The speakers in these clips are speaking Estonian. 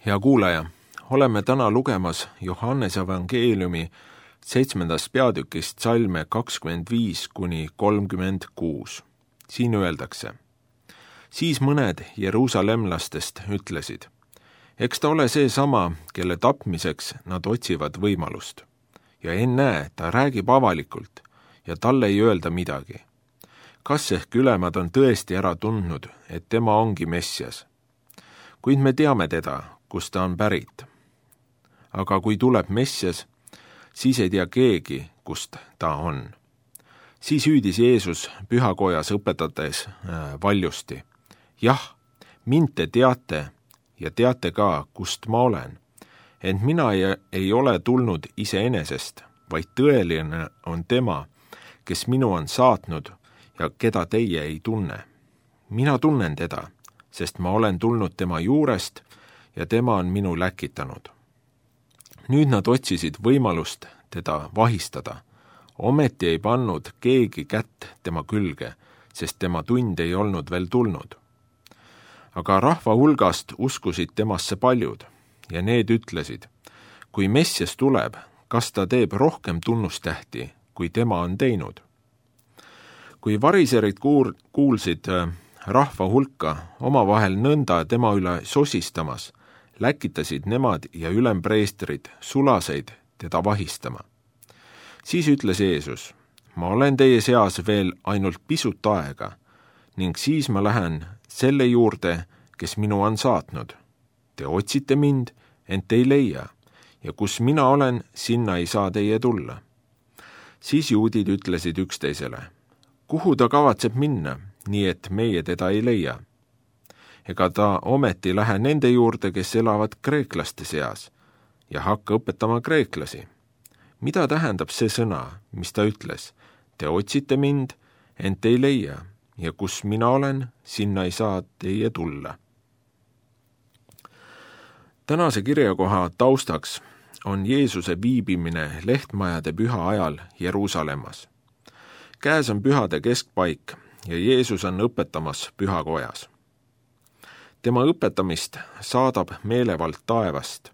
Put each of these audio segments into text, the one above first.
Hea kuulaja, oleme täna lugemas Johannese evangeeliumi 7. peatükist salme 25–36. Siin öeldakse: Siis mõned jeruusalemmlastest ütlesid: Eks ta ole see sama, kelle tapmiseks nad otsivad võimalust. Ja ennäe, ta räägib avalikult ja talle ei öelda midagi. Kas ehk ülemad on tõesti ära tundnud, et tema ongi Messias? Kuid me teame teda, kust ta on pärit. Aga kui tuleb Messias, siis ei tea keegi, kust ta on. Siis hüüdis Jeesus pühakojas õpetades valjusti: Jah, mind te teate ja teate ka, kust ma olen. Ent mina ei ole tulnud iseenesest, vaid tõeline on tema, kes minu on saatnud ja keda teie ei tunne. Mina tunnen teda, sest ma olen tulnud tema juurest ja tema on minu läkitanud. Nüüd nad otsisid võimalust teda vahistada. Ometi ei pannud keegi kätt tema külge, sest tema tund ei olnud veel tulnud. Aga rahva hulgast uskusid temasse paljud ja need ütlesid: Kui Messias tuleb, kas ta teeb rohkem tunnustähti, kui tema on teinud? Kui variserid kuulsid rahva hulka omavahel nõnda tema üle sosistamas, läkitasid nemad ja ülempreestrid sulaseid teda vahistama. Siis ütles Jeesus: Ma olen teie seas veel ainult pisut aega ning siis ma lähen selle juurde, kes minu on saatnud. Te otsite mind, ent ei leia, ja kus mina olen, sinna ei saa teie tulla. Siis juudid ütlesid üksteisele: Kuhu ta kavatseb minna, nii et meie teda ei leia? Ega ta ometi lähe nende juurde, kes elavad kreeklaste seas, ja hakka õpetama kreeklasi. Mida tähendab see sõna, mis ta ütles? Te otsite mind, ent ei leia, ja kus mina olen, sinna ei saa teie tulla. Tänase kirjakoha taustaks on Jeesuse viibimine lehtmajade püha ajal Jeruusalemmas. Käes on pühade keskpaik ja Jeesus on õpetamas pühakojas. Tema õpetamist saadab meelevald taevast,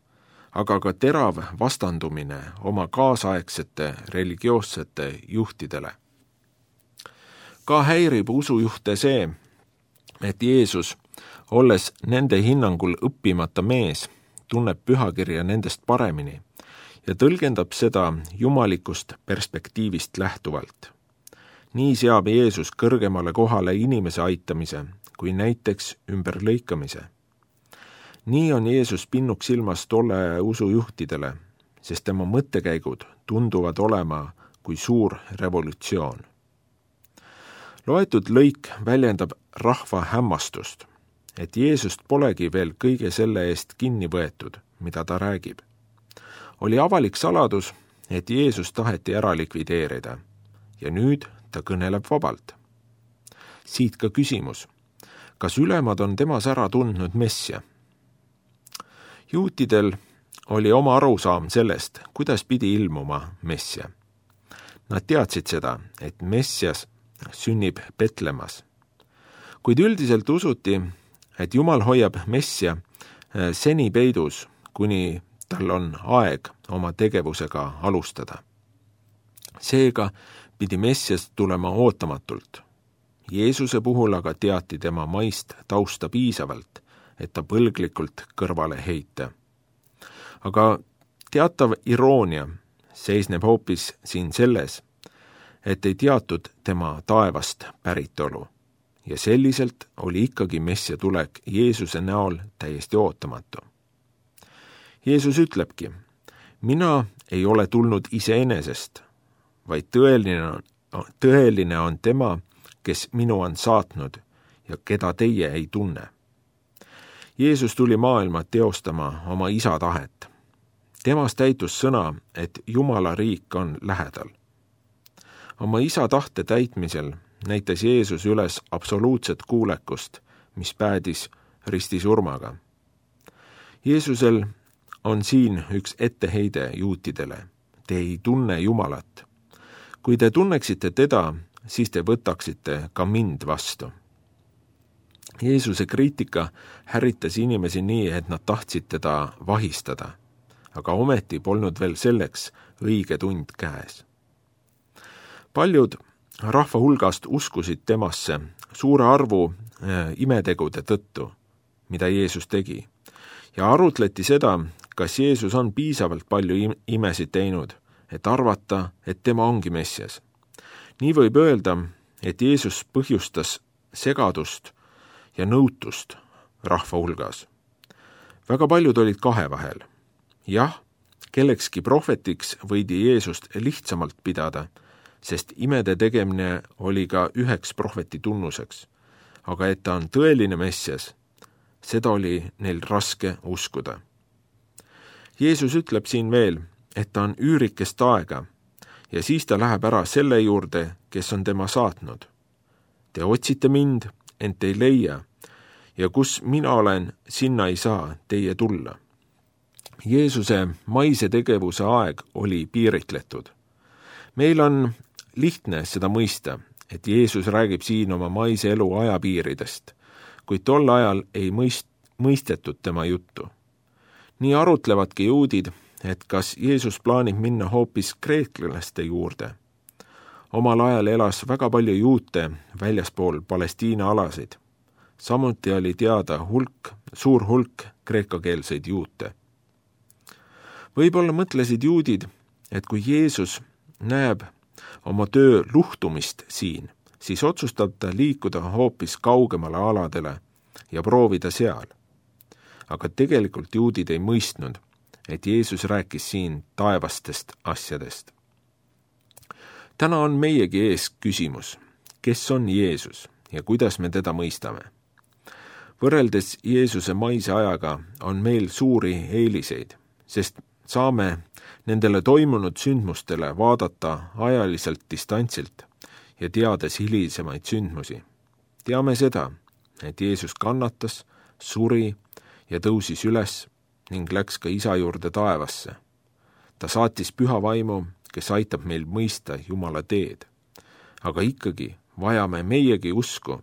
aga ka terav vastandumine oma kaasaegsete religioossete juhtidele. Ka häirib usujuhte see, et Jeesus, olles nende hinnangul õppimata mees, tunneb pühakirja nendest paremini ja tõlgendab seda jumalikust perspektiivist lähtuvalt. Nii seab Jeesus kõrgemale kohale inimese aitamise, kui näiteks ümberlõikamise. Nii on Jeesus pinnuks silmas tolle usujuhtidele, sest tema mõttekäigud tunduvad olema kui suur revolutsioon. Loetud lõik väljendab rahva hämmastust, et Jeesust polegi veel kõige selle eest kinni võetud, mida ta räägib. Oli avalik saladus, et Jeesus taheti ära likvideerida ja nüüd ta kõneleb vabalt. Siit ka küsimus: kas ülemad on temas ära tundnud Messia? Juutidel oli oma arusaam sellest, kuidas pidi ilmuma Messia. Nad teadsid seda, et Messias sünnib Betlemas. Kuid üldiselt usuti, et Jumal hoiab Messia seni peidus, kuni tal on aeg oma tegevusega alustada. Seega pidi Messias tulema ootamatult. Jeesuse puhul aga teati tema maist tausta piisavalt, et ta põlglikult kõrvale heita. Aga teatav iroonia seisneb hoopis siin selles, et ei teatud tema taevast päritolu ja selliselt oli ikkagi Messia tulek Jeesuse näol täiesti ootamatu. Jeesus ütlebki: Mina ei ole tulnud iseenesest, vaid tõeline on tema, kes minu on saatnud ja keda teie ei tunne. Jeesus tuli maailma teostama oma isa tahet. Temas täitus sõna, et Jumala riik on lähedal. Oma isa tahte täitmisel näitas Jeesus üles absoluutset kuulekust, mis päädis ristisurmaga. Jeesusel on siin üks etteheide juutidele: Te ei tunne Jumalat. Kui te tunneksite teda, siis te võtaksite ka mind vastu. Jeesuse kriitika häritas inimesi nii, et nad tahtsid teda vahistada, aga ometi polnud veel selleks õige tund käes. Paljud rahva hulgast uskusid temasse suure arvu imetegude tõttu, mida Jeesus tegi, ja arutleti seda, kas Jeesus on piisavalt palju imesid teinud, et arvata, et tema ongi Messias. Nii võib öelda, et Jeesus põhjustas segadust ja nõutust rahva hulgas. Väga paljud olid kahe vahel. Jah, kellekski prohvetiks võidi Jeesust lihtsamalt pidada, sest imede tegemine oli ka üheks prohveti tunnuseks. Aga et ta on tõeline Messias, seda oli neil raske uskuda. Jeesus ütleb siin veel, et ta on üürikest aega ja siis ta läheb ära selle juurde, kes on tema saatnud. Te otsite mind, ent ei leia, ja kus mina olen, sinna ei saa teie tulla. Jeesuse maise tegevuse aeg oli piiritletud. Meil on lihtne seda mõista, et Jeesus räägib siin oma maise elu ajapiiridest, kuid tol ajal ei mõistetud tema juttu. Nii arutlevadki juudid, et kas Jeesus plaanib minna hoopis kreeklaste juurde. Omal ajal elas väga palju juute väljaspool Palestiina alasid. Samuti oli teada suur hulk kreekakeelseid juute. Võib-olla mõtlesid juudid, et kui Jeesus näeb oma töö luhtumist siin, siis otsustab ta liikuda hoopis kaugemale aladele ja proovida seal. Aga tegelikult juudid ei mõistnud, et Jeesus rääkis siin taevastest asjadest. Täna on meiegi ees küsimus, kes on Jeesus ja kuidas me teda mõistame. Võrreldes Jeesuse maise ajaga on meil suuri eeliseid, sest saame nendele toimunud sündmustele vaadata ajaliselt distantsilt ja teades hilisemaid sündmusi. Teame seda, et Jeesus kannatas, suri ja tõusis üles ning läks ka Isa juurde taevasse. Ta saatis püha vaimu, kes aitab meil mõista Jumala teed. Aga ikkagi vajame meiegi usku,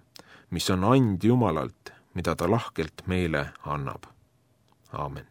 mis on and Jumalalt, mida ta lahkelt meile annab. Aamen.